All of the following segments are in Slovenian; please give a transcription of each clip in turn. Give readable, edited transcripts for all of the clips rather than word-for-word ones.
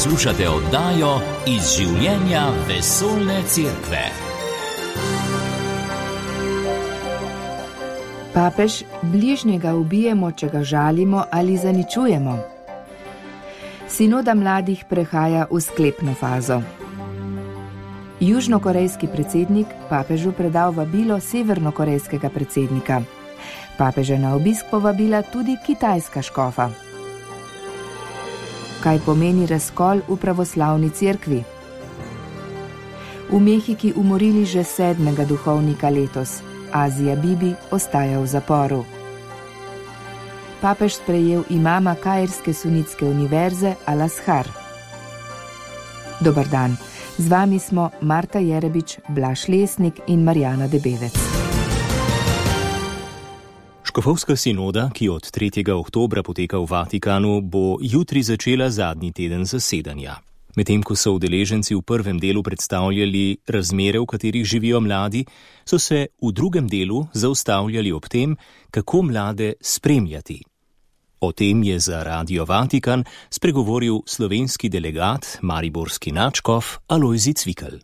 Poslušate oddajo Iz življenja vesoljne cerkve. Papež, bližnjega ubijemo, če ga žalimo ali zaničujemo. Sinoda mladih prehaja v sklepno fazo. Južnokorejski predsednik papežu predal vabilo severnokorejskega predsednika. Papeža na obisk povabila tudi kitajska škofa. Kaj pomeni razkol v pravoslavni cerkvi? V Mehiki umorili že 7. duhovnika letos. Azija Bibi ostaja v zaporu. Papež sprejel imama kairske sunitske univerze Al-Azhar. Dobar dan, z vami smo Marta Jerebič, Blaž Lesnik in Marjana Debevec. Škofovska sinoda, ki od 3. oktobra poteka v Vatikanu, bo jutri začela zadnji teden zasedanja. Medtem ko so udeleženci v prvem delu predstavljali razmere, v katerih živijo mladi, so se v drugem delu zaustavljali ob tem, kako mlade spremljati. O tem je za Radio Vatikan spregovoril slovenski delegat, mariborski nadškof Alojzij Cvikl.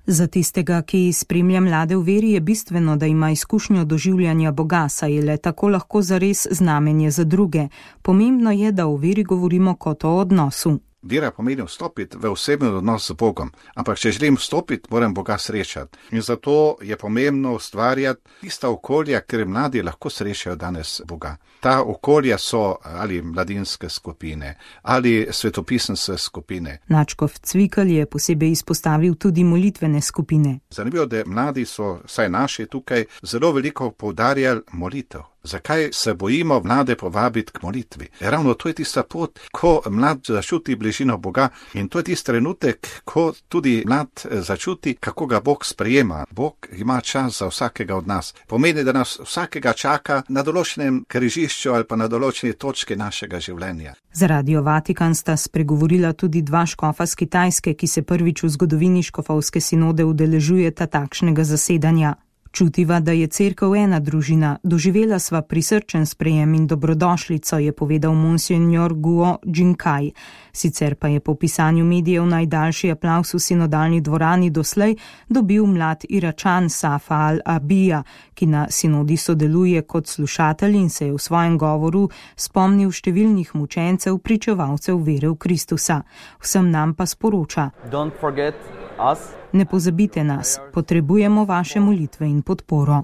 Za tistega, ki spremlja mlade v veri, je bistveno, da ima izkušnjo doživljanja Boga, saj je le tako lahko zares znamenje za druge. Pomembno je, da o veri govorimo kot o odnosu. Vera pomeni vstopiti v osebni odnos z Bogom, ampak če želim vstopiti, moram Boga srečati. In zato je pomembno ustvarjati tista okolja, kjer mladi lahko srečajo danes Boga. Ta okolja so ali mladinske skupine, ali svetopisanske skupine. Nadškof Cvikl je posebej izpostavil tudi molitvene skupine. Zanimivo, da mladi so, saj naši tukaj, zelo veliko poudarjali molitev. Zakaj se bojimo mlade povabiti k molitvi? Ravno to je tista pot, ko mlad začuti bližino Boga, in to je tisti trenutek, ko tudi mlad začuti, kako ga Bog sprejema. Bog ima čas za vsakega od nas. Pomeni, da nas vsakega čaka na določenem križišču ali pa na določeni točki našega življenja. Za Radio Vatikan sta spregovorila tudi dva škofa z Kitajske, ki se prvič v zgodovini škofovske sinode udeležujeta takšnega zasedanja. Čutiva, da je cerkev ena družina, doživela sva prisrčen sprejem in dobrodošlico, je povedal monsenjor Guo Jinkaj. Sicer pa je po pisanju medijev najdaljši aplavz v sinodalni dvorani doslej dobil mlad Iračan Safa al-Abija, ki na sinodi sodeluje kot slušatelj in se je v svojem govoru spomnil številnih mučencev, pričevalcev vere v Kristusa. Vsem nam pa sporoča: Don't forget us. Ne pozabite nas, potrebujemo vaše molitve in podporo.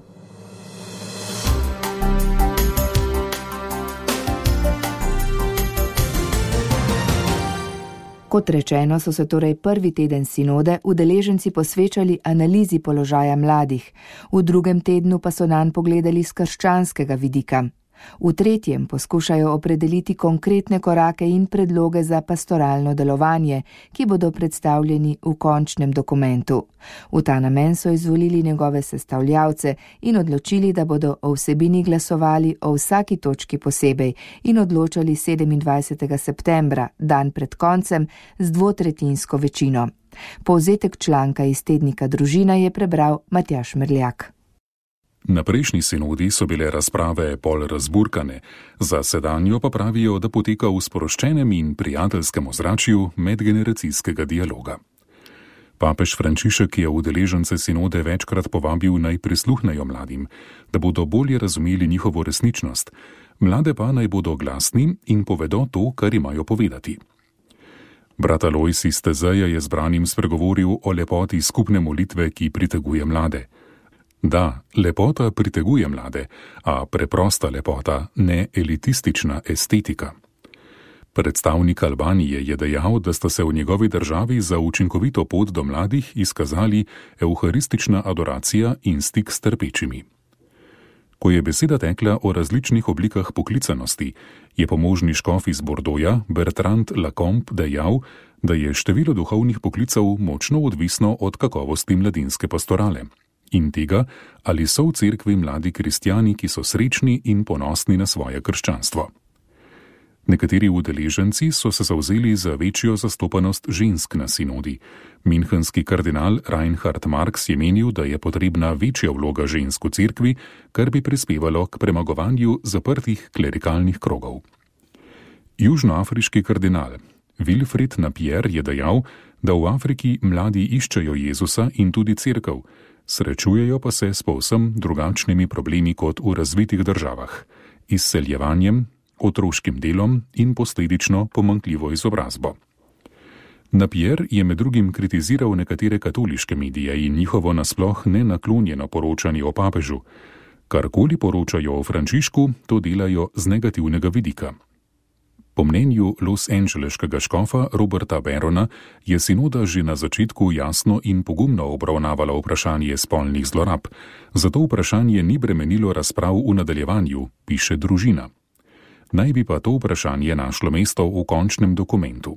Kot rečeno, so se torej prvi teden sinode udeleženci posvečali analizi položaja mladih, v drugem tednu pa so nanj pogledali s krščanskega vidika. V tretjem poskušajo opredeliti konkretne korake in predloge za pastoralno delovanje, ki bodo predstavljeni v končnem dokumentu. V ta namen so izvolili njegove sestavljavce in odločili, da bodo o vsebini glasovali o vsaki točki posebej in odločali 27. septembra, dan pred koncem, z dvotretjinsko večino. Povzetek članka iz tednika Družina je prebral Matjaž Merljak. Na prejšnji sinodi so bile razprave pol razburkane, za sedanjo pa pravijo, da poteka v sproščenem in prijateljskem ozračju medgeneracijskega dialoga. Papež Frančišek je udeležence sinode večkrat povabil, naj prisluhnejo mladim, da bodo bolje razumeli njihovo resničnost, mlade pa naj bodo glasni in povedo to, kar imajo povedati. Brat Alojzij iz Tezeja je zbranim spregovoril o lepoti skupne molitve, ki priteguje mlade. Da, lepota priteguje mlade, a preprosta lepota, ne elitistična estetika. Predstavnik Albanije je dejal, da sta se v njegovi državi za učinkovito pot do mladih izkazali evharistična adoracija in stik s trpečimi. Ko je beseda tekla o različnih oblikah poklicanosti, je pomožni škof iz Bordoja Bertrand Lacombe dejal, da je število duhovnih poklicev močno odvisno od kakovosti mladinske pastorale in tega, ali so v cerkvi mladi kristjani, ki so srečni in ponosni na svoje krščanstvo. Nekateri udeleženci so se zavzeli za večjo zastopanost žensk na sinodi. Münchenski kardinal Reinhard Marx je menil, da je potrebna večja vloga žensk v cerkvi, kar bi prispevalo k premagovanju zaprtih klerikalnih krogov. Južnoafriški kardinal Wilfried Napier je dejal, da v Afriki mladi iščejo Jezusa in tudi cerkev, srečujejo pa se s povsem drugačnimi problemi kot v razvitih državah, izseljevanjem, otroškim delom in posledično pomanjkljivo izobrazbo. Napier je med drugim kritiziral nekatere katoliške medije in njihovo nasploh nenaklonjeno poročanje o papežu. Karkoli poročajo o Frančišku, to delajo z negativnega vidika. Po mnenju losangeleškega škofa Roberta Barona je sinoda že na začetku jasno in pogumno obravnavala vprašanje spolnih zlorab, zato vprašanje ni bremenilo razprav v nadaljevanju, piše Družina. Naj bi pa to vprašanje našlo mesto v končnem dokumentu.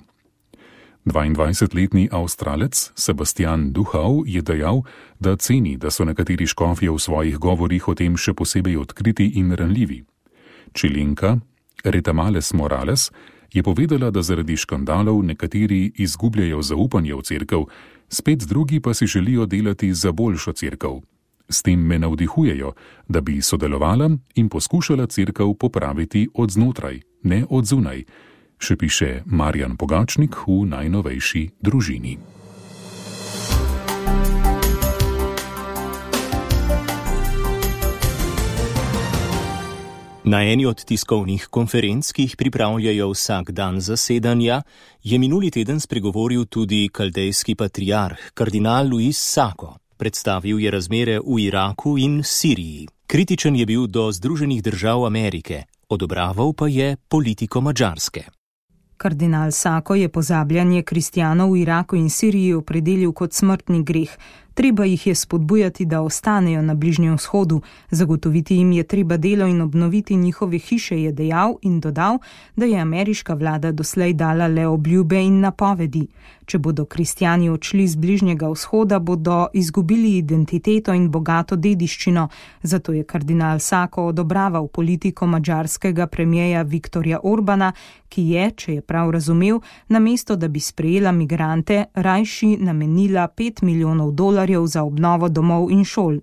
22-letni Avstralec Sebastian Duhau je dejal, da ceni, da so nekateri škofje v svojih govorih o tem še posebej odkriti in ranljivi. Čilenka Retamales Morales je povedala, da zaradi škandalov nekateri izgubljajo zaupanje v cerkev, spet drugi pa si želijo delati za boljšo cerkev. S tem me navdihujejo, da bi sodelovala in poskušala cerkev popraviti od znotraj, ne od zunaj, še piše Marjan Pogačnik v najnovejši Družini. Na eni od tiskovnih konferenc, ki jih pripravljajo vsak dan zasedanja, je minuli teden spregovoril tudi kaldejski patriarh, kardinal Luis Sacco. Predstavil je razmere v Iraku in Siriji. Kritičen je bil do Združenih držav Amerike, odobraval pa je politiko Madžarske. Kardinal Sacco je pozabljanje kristjanov v Iraku in Siriji opredelil kot smrtni greh. Treba jih je spodbujati, da ostanejo na Bližnjem vzhodu, zagotoviti jim je treba delo in obnoviti njihove hiše, je dejal in dodal, da je ameriška vlada doslej dala le obljube in napovedi. Če bodo kristjani odšli z Bližnjega vzhoda, bodo izgubili identiteto in bogato dediščino, zato je kardinal Sacco odobraval politiko madžarskega premierja Viktorja Orbana, ki je, če je prav razumel, namesto da bi sprejela migrante, rajši namenila $5 milijonov za obnovo domov in šol.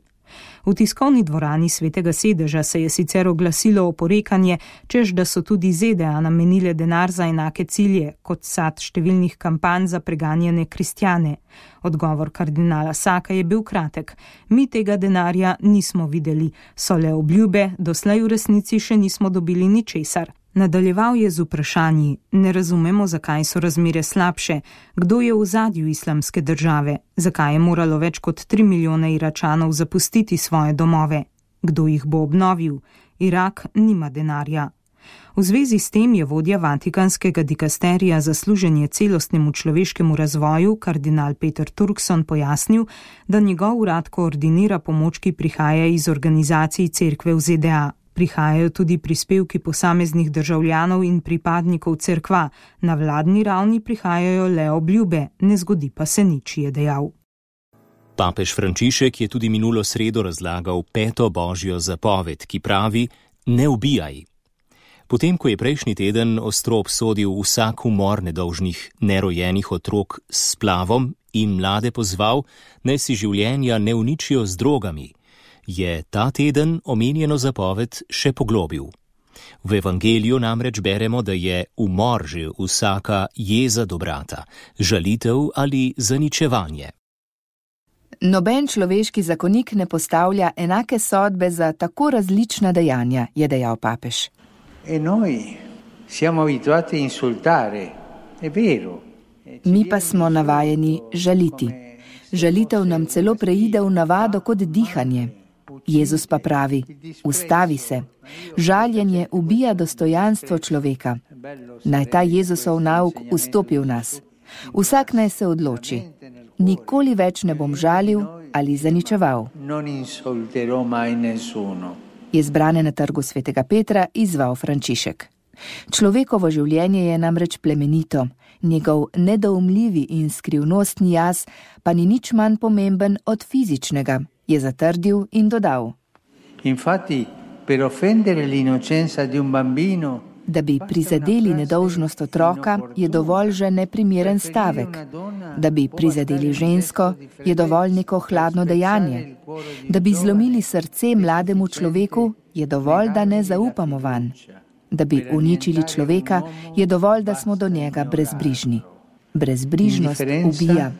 V tiskovni dvorani Svetega sedeža se je sicer oglasilo oporekanje, čež da so tudi ZDA namenile denar za enake cilje, kot sad številnih kampanj za preganjene kristjane. Odgovor kardinala Sacca je bil kratek. Mi tega denarja nismo videli, so le obljube, doslej v resnici še nismo dobili ničesar. Nadaljeval je z vprašanji: ne razumemo, zakaj so razmere slabše, kdo je v ozadju islamske države, zakaj je moralo več kot 3 milijone Iračanov zapustiti svoje domove, kdo jih bo obnovil, Irak nima denarja. V zvezi s tem je vodja Vatikanskega dikasterija za služenje celostnemu človeškemu razvoju, kardinal Peter Turkson, pojasnil, da njegov urad koordinira pomoč, ki prihaja iz organizacij cerkve v ZDA. Prihajajo tudi prispevki posameznih državljanov in pripadnikov cerkva, na vladni ravni prihajajo le obljube, ne zgodi pa se nič, je dejal. Papež Frančišek je tudi minulo sredo razlagal 5. božjo zapoved, ki pravi: ne ubijaj. Potem, ko je prejšnji teden ostro obsodil vsak umor nedolžnih nerojenih otrok s splavom in mlade pozval, naj si življenja ne uničijo z drogami, je ta teden omenjeno zapoved še poglobil. V evangeliju namreč beremo, da je umor že vsaka jeza do brata, žalitev ali zaničevanje. Noben človeški zakonik ne postavlja enake sodbe za tako različna dejanja, je dejal papež. Mi pa smo navajeni žaliti. Žalitev nam celo preide v navado kot dihanje. Jezus pa pravi: ustavi se. Žaljenje ubija dostojanstvo človeka. Naj ta Jezusov nauk vstopi v nas. Vsak naj se odloči: nikoli več ne bom žalil ali zaničeval. Je zbrane na trgu Svetega Petra izzval Frančišek. Človekovo življenje je namreč plemenito, njegov nedoumljivi in skrivnostni jaz pa ni nič manj pomemben od fizičnega, je zatrdil in dodal. Da bi prizadeli nedolžnost otroka, je dovolj že neprimeren stavek. Da bi prizadeli žensko, je dovolj neko hladno dejanje. Da bi zlomili srce mlademu človeku, je dovolj, da ne zaupamo vanj. Da bi uničili človeka, je dovolj, da smo do njega brezbrižni. Brezbrižnost ubija.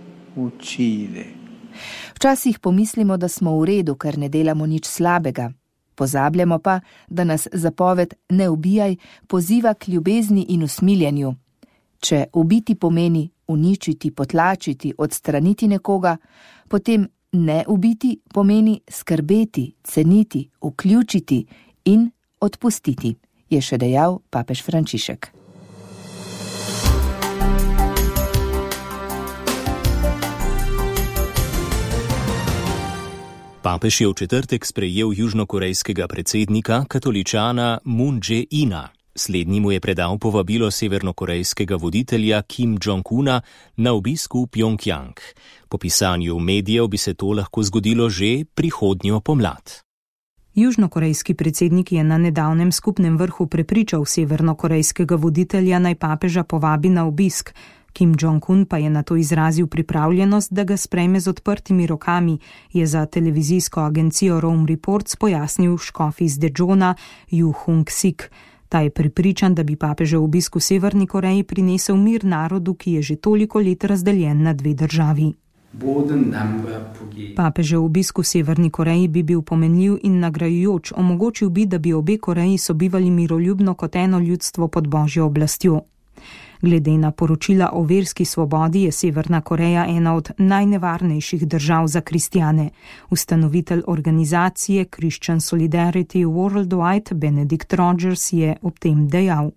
Včasih pomislimo, da smo v redu, ker ne delamo nič slabega. Pozabljamo pa, da nas zapoved ne ubijaj poziva k ljubezni in usmiljenju. Če ubiti pomeni uničiti, potlačiti, odstraniti nekoga, potem ne ubiti pomeni skrbeti, ceniti, vključiti in odpustiti, je še dejal papež Frančišek. Papež je v četrtek sprejel južnokorejskega predsednika, katoličana Moon Jae-ina. Slednji mu je predal povabilo severnokorejskega voditelja Kim Jong-una na obisk v Pjongjang. Po pisanju medijev bi se to lahko zgodilo že prihodnjo pomlad. Južnokorejski predsednik je na nedavnem skupnem vrhu prepričal severnokorejskega voditelja, naj papeža povabi na obisk. Kim Jong-un pa je na to izrazil pripravljenost, da ga sprejme z odprtimi rokami, je za televizijsko agencijo Rome Reports pojasnil škof iz Dejona Ju Hung-sik. Ta je prepričan, da bi papežev obisk v Severni Koreji prinesel mir narodu, ki je že toliko let razdeljen na dve državi. Papežev obisk v Severni Koreji bi bil pomenljiv in nagrajujoč, omogočil bi, da bi obe Koreji sobivali miroljubno kot eno ljudstvo pod božjo oblastjo. Glede na poročila o verski svobodi je Severna Koreja ena od najnevarnejših držav za kristjane. Ustanovitelj organizacije Christian Solidarity Worldwide Benedict Rogers je ob tem dejal: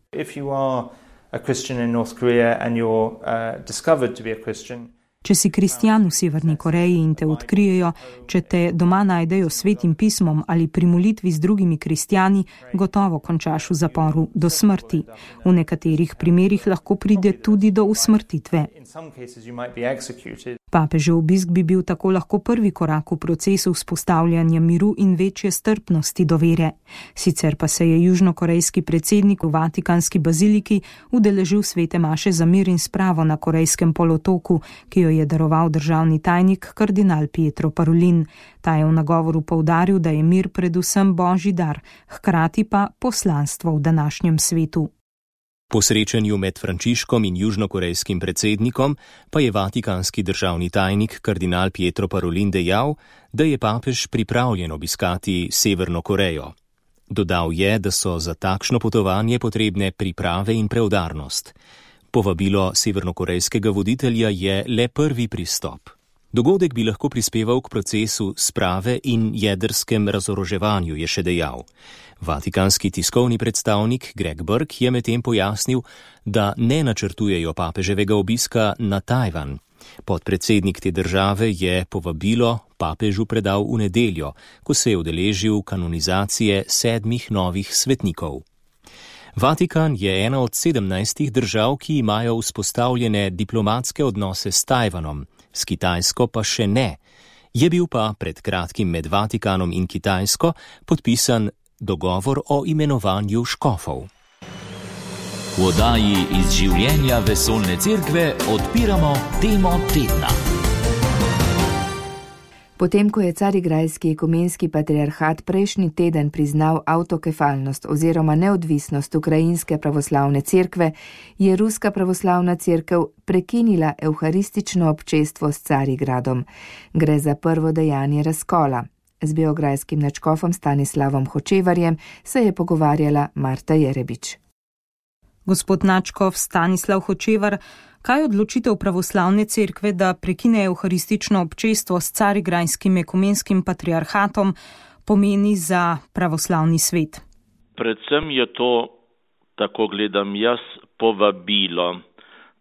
Če si kristjan v Severni Koreji in te odkrijejo, če te doma najdejo s svetim pismom ali pri molitvi z drugimi kristjani, gotovo končaš v zaporu do smrti. V nekaterih primerih lahko pride tudi do usmrtitve. Papežev obisk bi bil tako lahko prvi korak v procesu vzpostavljanja miru in večje strpnosti do vere. Sicer pa se je južnokorejski predsednik v Vatikanski baziliki udeležil svete maše za mir in spravo na Korejskem polotoku, ki jo je daroval državni tajnik kardinal Pietro Parolin. Ta je v nagovoru poudaril, da je mir predvsem božji dar, hkrati pa poslanstvo v današnjem svetu. Po srečanju med Frančiškom in južnokorejskim predsednikom pa je vatikanski državni tajnik kardinal Pietro Parolin dejal, da je papež pripravljen obiskati Severno Korejo. Dodal je, da so za takšno potovanje potrebne priprave in preudarnost. Povabilo severnokorejskega voditelja je le prvi pristop. Dogodek bi lahko prispeval k procesu sprave in jedrskem razoroževanju, je še dejal. Vatikanski tiskovni predstavnik Greg Burke je medtem pojasnil, da ne načrtujejo papeževega obiska na Tajvan. Podpredsednik te države je povabilo papežu predal v nedeljo, ko se je udeležil kanonizacije 7 novih svetnikov. Vatikan je ena od 17 držav, ki imajo vzpostavljene diplomatske odnose s Tajvanom, s Kitajsko pa še ne. Je bil pa pred kratkim med Vatikanom in Kitajsko podpisan dogovor o imenovanju škofov. V oddaji iz življenja vesoljne cerkve odpiramo temo tedna. Potem, ko je Carigrajski ekumenski patriarhat prejšnji teden priznal avtokefalnost oziroma neodvisnost Ukrajinske pravoslavne cerkve, je Ruska pravoslavna cerkev prekinila evharistično občestvo s Carigradom. Gre za prvo dejanje razkola. Z beograjskim nadškofom Stanislavom Hočevarjem se je pogovarjala Marta Jerebič. Gospod nadškof Stanislav Hočevar, kaj odločitev pravoslavne cerkve, da prekine evharistično občestvo s Carigrajskim ekumenskim patriarhatom, pomeni za pravoslavni svet? Predvsem je to, tako gledam jaz, povabilo,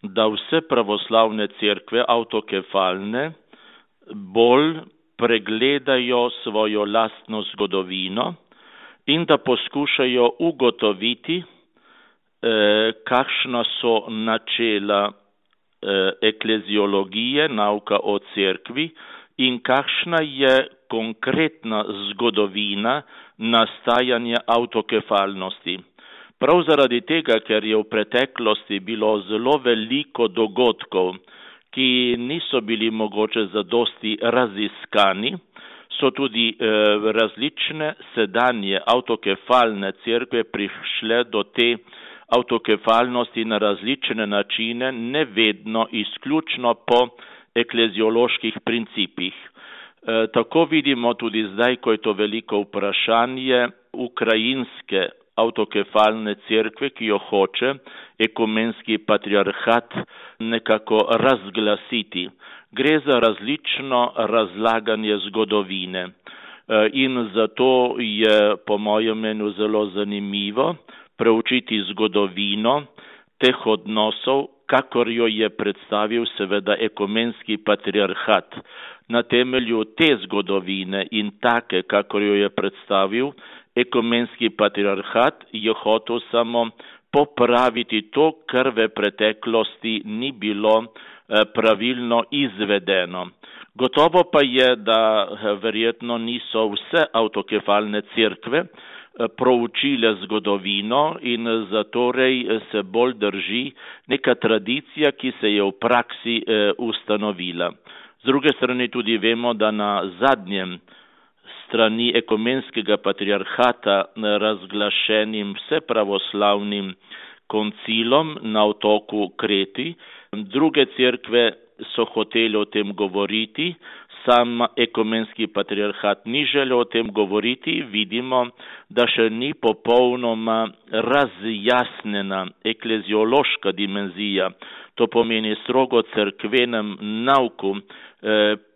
da vse pravoslavne cerkve, avtokefalne, bolj pregledajo svojo lastno zgodovino in da poskušajo ugotoviti, kakšna so načela ekleziologije, nauka o cerkvi in kakšna je konkretna zgodovina nastajanja avtokefalnosti. Prav zaradi tega, ker je v preteklosti bilo zelo veliko dogodkov, ki niso bili mogoče zadosti raziskani, so tudi različne sedanje avtokefalne cerkve prišle do te avtokefalnosti na različne načine, ne vedno izključno po eklezioloških principih. Tako vidimo tudi zdaj, ko je to veliko vprašanje ukrajinske avtokefalne cerkve, ki jo hoče ekumenski patriarhat nekako razglasiti. Gre za različno razlaganje zgodovine in zato je po mojem mnenju zelo zanimivo preučiti zgodovino teh odnosov, kakor jo je predstavil seveda ekumenski patriarhat. Na temelju te zgodovine in take, kakor jo je predstavil ekumenski patriarhat, je hotel samo popraviti to, kar v preteklosti ni bilo pravilno izvedeno. Gotovo pa je, da verjetno niso vse avtokefalne cerkve proučile zgodovino in zatorej se bolj drži neka tradicija, ki se je v praksi ustanovila. Z druge strani tudi vemo, da na zadnjem strani ekumenskega patriarhata razglašenim vsepravoslavnim koncilom na otoku Kreti, druge cerkve so hoteli o tem govoriti, sam ekumenski patriarhat ni želel o tem govoriti, vidimo, da še ni popolnoma razjasnjena ekleziološka dimenzija, to pomeni strogo cerkvenem nauku,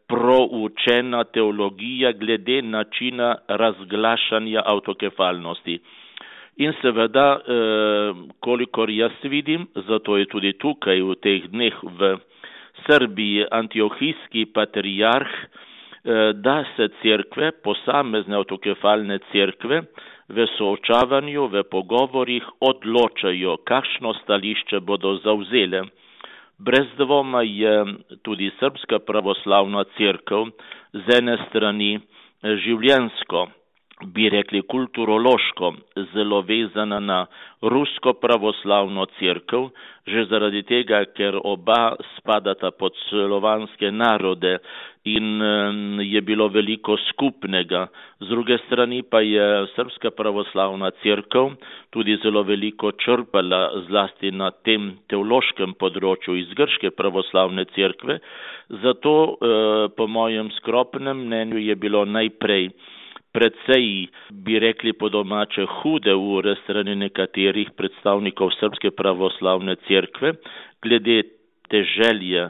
proučena teologija glede načina razglašanja avtokefalnosti. In seveda, kolikor jaz vidim, zato je tudi tukaj v teh dneh v Srbiji antiohijski patriarh, da se cerkve, posamezne avtokefalne cerkve, v soočavanju, v pogovorih odločajo, kakšno stališče bodo zavzele. Brez dvoma je tudi Srbska pravoslavna cerkev z ene strani življenjsko, bi rekli kulturološko, zelo vezana na rusko pravoslavno cerkev, že zaradi tega, ker oba spadata pod slovanske narode in je bilo veliko skupnega. Z druge strani pa je Srbska pravoslavna cerkev tudi zelo veliko črpala zlasti na tem teološkem področju iz grške pravoslavne cerkve. Zato po mojem skromnem mnenju je bilo najprej predvsej, bi rekli po domače, hude ure strani nekaterih predstavnikov Srbske pravoslavne cerkve, glede te želje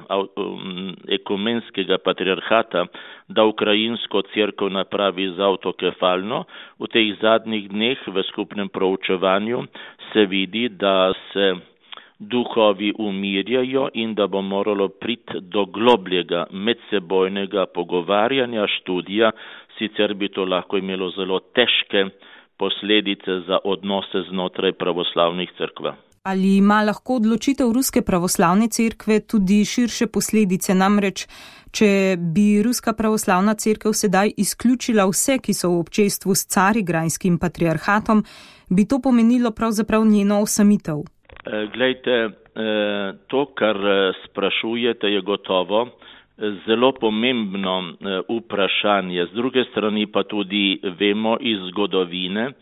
ekumenskega patriarhata, da ukrajinsko cerkev napravi za avtokefalno. V teh zadnjih dneh v skupnem proučevanju se vidi, da se duhovi umirjajo in da bo moralo priti do globljega medsebojnega pogovarjanja, študija, sicer bi to lahko imelo zelo težke posledice za odnose znotraj pravoslavnih cerkva. Ali ima lahko odločitev Ruske pravoslavne cerkve tudi širše posledice? Namreč, če bi Ruska pravoslavna cerkev sedaj izključila vse, ki so v občestvu s carigrajskim patriarhatom, bi to pomenilo pravzaprav njeno osamitev. Glejte, to, kar sprašujete, je gotovo zelo pomembno vprašanje. Z druge strani pa tudi vemo iz zgodovine,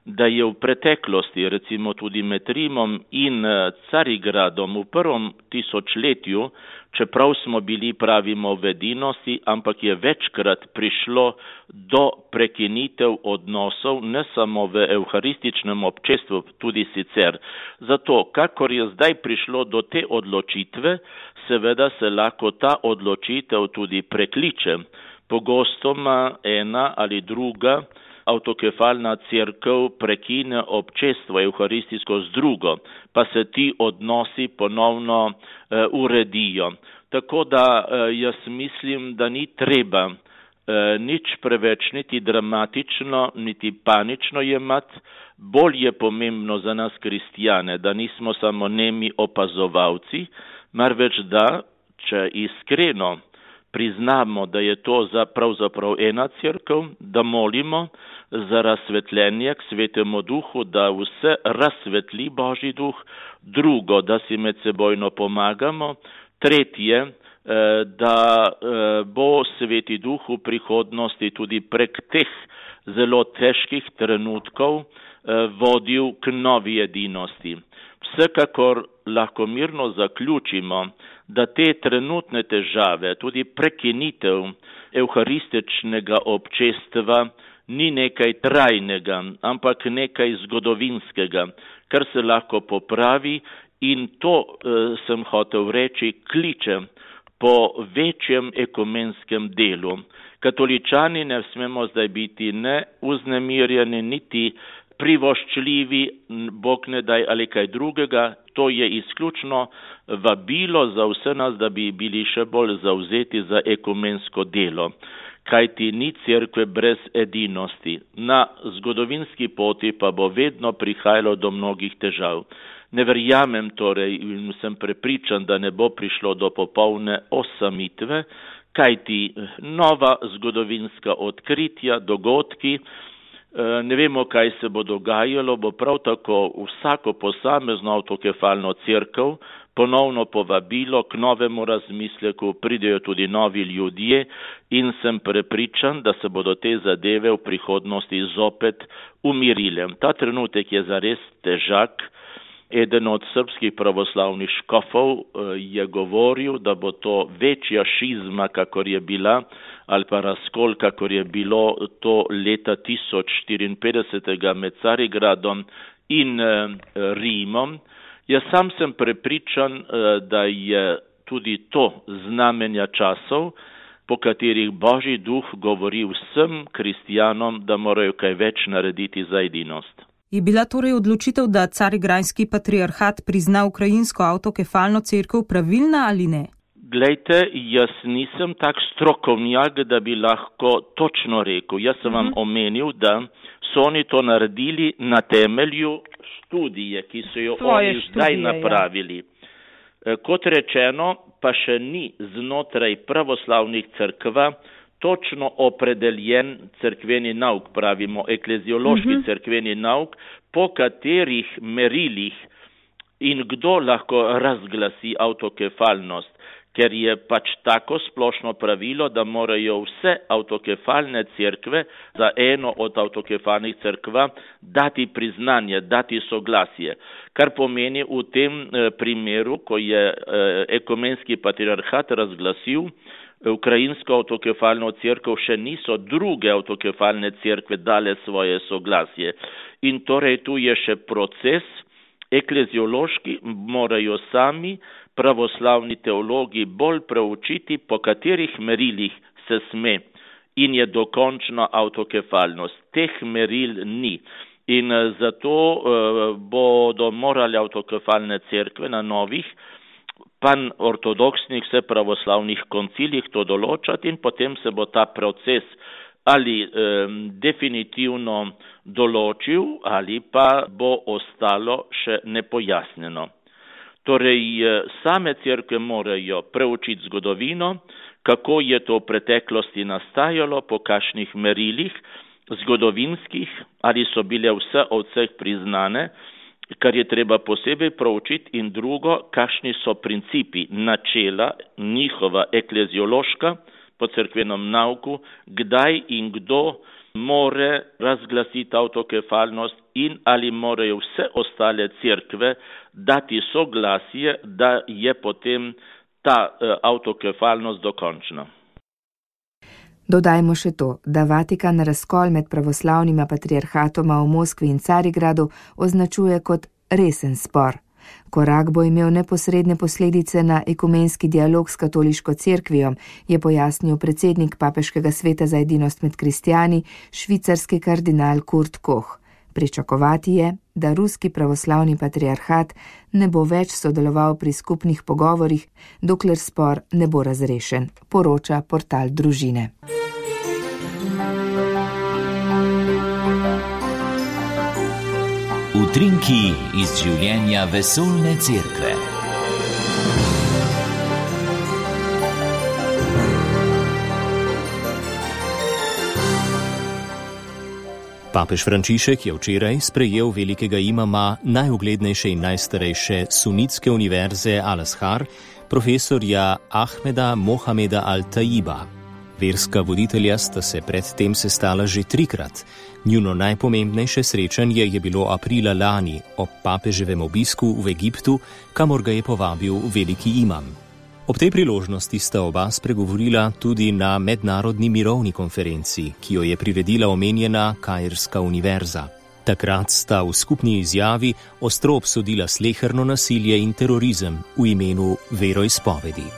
da je v preteklosti, recimo tudi med Rimom in Carigradom v prvem tisočletju, čeprav smo bili, pravimo, v edinosti, ampak je večkrat prišlo do prekinitev odnosov, ne samo v evharističnem občestvu, tudi sicer. Zato, kakor je zdaj prišlo do te odločitve, seveda se lahko ta odločitev tudi prekliče. Pogostoma ena ali druga avtokefalna cerkev prekine občestvo evharistijsko z drugo, pa se ti odnosi ponovno uredijo. Tako da jaz mislim, da ni treba nič preveč, niti dramatično, niti panično jemati. Bolj je pomembno za nas kristjane, da nismo samo nemi opazovalci, marveč da, če iskreno priznamo, da je to pravzaprav ena cerkev, da molimo za razsvetljenje k Svetemu Duhu, da vse razsvetli Božji Duh, drugo, da si medsebojno pomagamo, tretje, da bo Sveti Duh v prihodnosti tudi prek teh zelo težkih trenutkov vodil k novi edinosti. Vsekakor lahko mirno zaključimo, da te trenutne težave, tudi prekinitev evharističnega občestva ni nekaj trajnega, ampak nekaj zgodovinskega, kar se lahko popravi in to sem hotel reči, kliče po večjem ekumenskem delu. Katoličani ne smemo zdaj biti ne vznemirjeni, niti privoščljivi, Bog ne daj ali kaj drugega. To je izključno vabilo za vse nas, da bi bili še bolj zavzeti za ekumensko delo. Kajti ni cerkve brez edinosti. Na zgodovinski poti pa bo vedno prihajalo do mnogih težav. Ne verjamem torej in sem prepričan, da ne bo prišlo do popolne osamitve, kajti nova zgodovinska odkritja, dogodki, ne vemo, kaj se bo dogajalo, bo prav tako vsako posamezno avtokefalno cerkev ponovno povabilo k novemu razmisleku, pridejo tudi novi ljudje in sem prepričan, da se bodo te zadeve v prihodnosti zopet umirile. Ta trenutek je zares težak. Eden od srpskih pravoslavnih škofov je govoril, da bo to večja šizma, kakor je bila, ali pa razkol, kakor je bilo to leta 1054 med Carigradom in Rimom. Jaz sam sem prepričan, da je tudi to znamenja časov, po katerih Božji duh govori vsem kristjanom, da morajo kaj več narediti za edinost. Je bila torej odločitev, da Carigrajski patriarhat prizna ukrajinsko avtokefalno cerkev pravilna ali ne? Glejte, jaz nisem tak strokovnjak, da bi lahko točno rekel. Jaz sem vam omenil, da so oni to naredili na temelju študije, ki so jo oni zdaj napravili. Ja. Kot rečeno, pa še ni znotraj pravoslavnih cerkva točno opredeljen cerkveni nauk, pravimo ekleziološki cerkveni nauk, po katerih merilih in kdo lahko razglasi avtokefalnost, ker je pač tako splošno pravilo, da morajo vse avtokefalne cerkve za eno od avtokefalnih cerkva dati priznanje, dati soglasje, kar pomeni v tem primeru, ko je ekumenski patriarhat razglasil ukrajinsko avtokefalno cerkev, še niso druge avtokefalne cerkve dale svoje soglasje. In torej tu je še proces ekleziološki, morajo sami pravoslavni teologi bolj preučiti, po katerih merilih se sme in je dokončna avtokefalnost. Teh meril ni. In zato bodo morali avtokefalne cerkve na novih pan-ortodoksnih vse pravoslavnih koncilih to določati in potem se bo ta proces ali definitivno določil ali pa bo ostalo še nepojasnjeno. Torej, same cerkve morajo preučiti zgodovino, kako je to v preteklosti nastajalo, po kakšnih merilih zgodovinskih, ali so bile vse od vseh priznane, kar je treba posebej proučiti, in drugo, kakšni so principi, načela, njihova ekleziološka po cerkvenem nauku, kdaj in kdo more razglasiti avtokefalnost in ali morajo vse ostale cerkve dati soglasje, da je potem ta avtokefalnost dokončna. Dodajmo še to, da Vatikan razkol med pravoslavnima patriarhatoma v Moskvi in Carigradu označuje kot resen spor. Korak bo imel neposredne posledice na ekumenski dialog s katoliško cerkvijo, je pojasnil predsednik Papeškega sveta za edinost med kristjani, švicarski kardinal Kurt Koch. Pričakovati je, da ruski pravoslavni patriarhat ne bo več sodeloval pri skupnih pogovorih, dokler spor ne bo razrešen, poroča portal Družine. Utrinki iz življenja vesoljne cerkve. Papež Frančišek je včeraj sprejel velikega imama najuglednejše in najstarejše sunitske univerze Al-Azhar, profesorja Ahmeda Mohameda Al-Taiba. Verska voditelja sta se predtem sestala že 3-krat. Njuno najpomembnejše srečanje je bilo aprila lani ob papeževem obisku v Egiptu, kamor ga je povabil veliki imam. Ob tej priložnosti sta oba spregovorila tudi na mednarodni mirovni konferenci, ki jo je priredila omenjena Kairska univerza. Takrat sta v skupni izjavi ostro obsodila sleherno nasilje in terorizem v imenu veroizpovedi.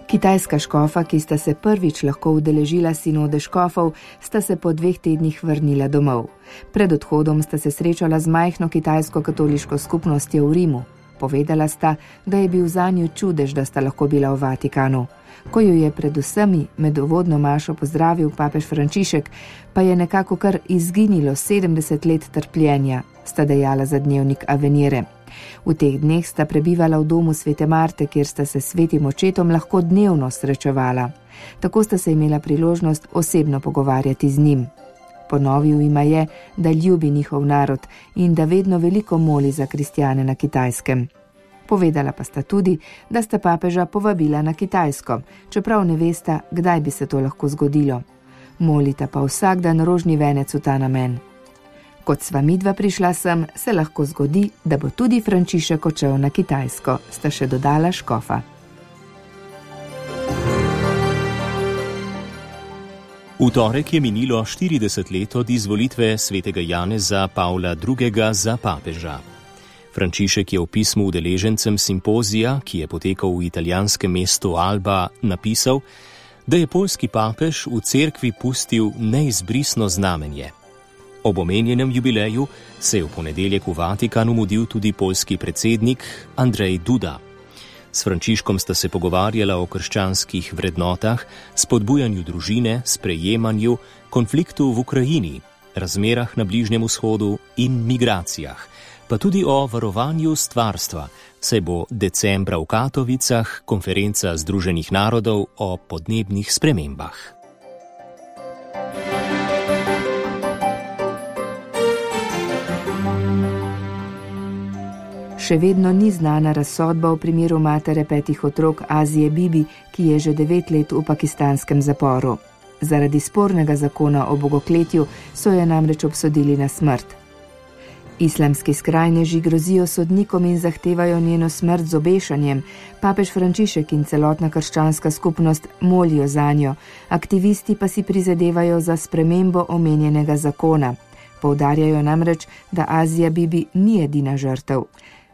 Kitajska škofa, ki sta se prvič lahko udeležila sinode škofov, sta se po 2 tednih vrnila domov. Pred odhodom sta se srečala z majhno kitajsko katoliško skupnostjo v Rimu. Povedala sta, da je bil zanju čudež, da sta lahko bila v Vatikanu. Ko jo je pred vsemi med uvodno mašo pozdravil papež Frančišek, pa je nekako kar izginilo 70 let trpljenja, sta dejala za dnevnik Avenire. V teh dneh sta prebivala v domu svete Marte, kjer sta se s svetim očetom lahko dnevno srečevala. Tako sta se imela priložnost osebno pogovarjati z njim. Ponovil jima je, da ljubi njihov narod in da vedno veliko moli za kristjane na Kitajskem. Povedala pa sta tudi, da sta papeža povabila na Kitajsko, čeprav ne vesta, kdaj bi se to lahko zgodilo. Molita pa vsak dan rožni venec v ta namen. Kot sva midva prišla sem, se lahko zgodi, da bo tudi Frančišek odšel na Kitajsko, sta še dodala škofa. V torek je minilo 40 let od izvolitve svetega Janeza Pavla II. Za papeža. Frančišek je v pismu udeležencem simpozija, ki je potekal v italijanskem mestu Alba, napisal, da je poljski papež v cerkvi pustil neizbrisno znamenje. Ob omenjenem jubileju se je v ponedeljek v Vatikanu mudil tudi poljski predsednik Andrzej Duda. S Frančiškom sta se pogovarjala o krščanskih vrednotah, spodbujanju družine, sprejemanju, konfliktu v Ukrajini, razmerah na Bližnjem vzhodu in migracijah, pa tudi o varovanju stvarstva, saj bo decembra v Katovicah konferenca Združenih narodov o podnebnih spremembah. Še vedno ni znana razsodba v primeru matere 5 otrok Azije Bibi, ki je že 9 let v pakistanskem zaporu. Zaradi spornega zakona o bogokletju so jo namreč obsodili na smrt. Islamski skrajneži grozijo sodnikom in zahtevajo njeno smrt z obešanjem. Papež Frančišek in celotna krščanska skupnost molijo zanjo, aktivisti pa si prizadevajo za spremembo omenjenega zakona. Poudarjajo namreč, da Azija Bibi ni edina žrtev.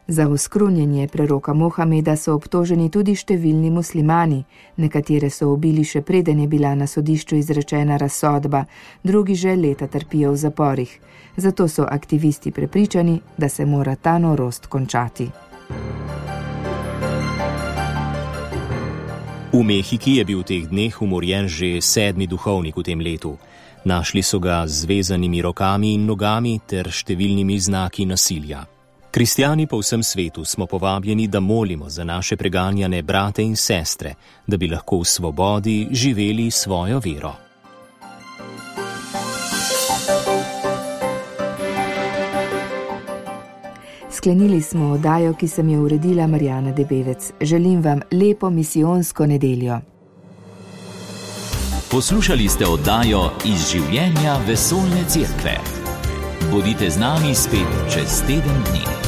Za oskrunjenje preroka Mohameda so obtoženi tudi številni muslimani. Nekatere so ubili še preden je bila na sodišču izrečena razsodba, drugi že leta trpijo v zaporih. Zato so aktivisti prepričani, da se mora ta norost končati. V Mehiki je bil v teh dneh umorjen že 7. duhovnik v tem letu. Našli so ga z zvezanimi rokami in nogami ter številnimi znaki nasilja. Kristjani po vsem svetu smo povabljeni, da molimo za naše preganjane brate in sestre, da bi lahko v svobodi živeli svojo vero. Sklenili smo oddajo, ki sem jo uredila Marjana Debevec. Želim vam lepo misijonsko nedeljo. Poslušali ste oddajo Iz življenja vesoljne cerkve. Bodite z nami spet čez teden dni.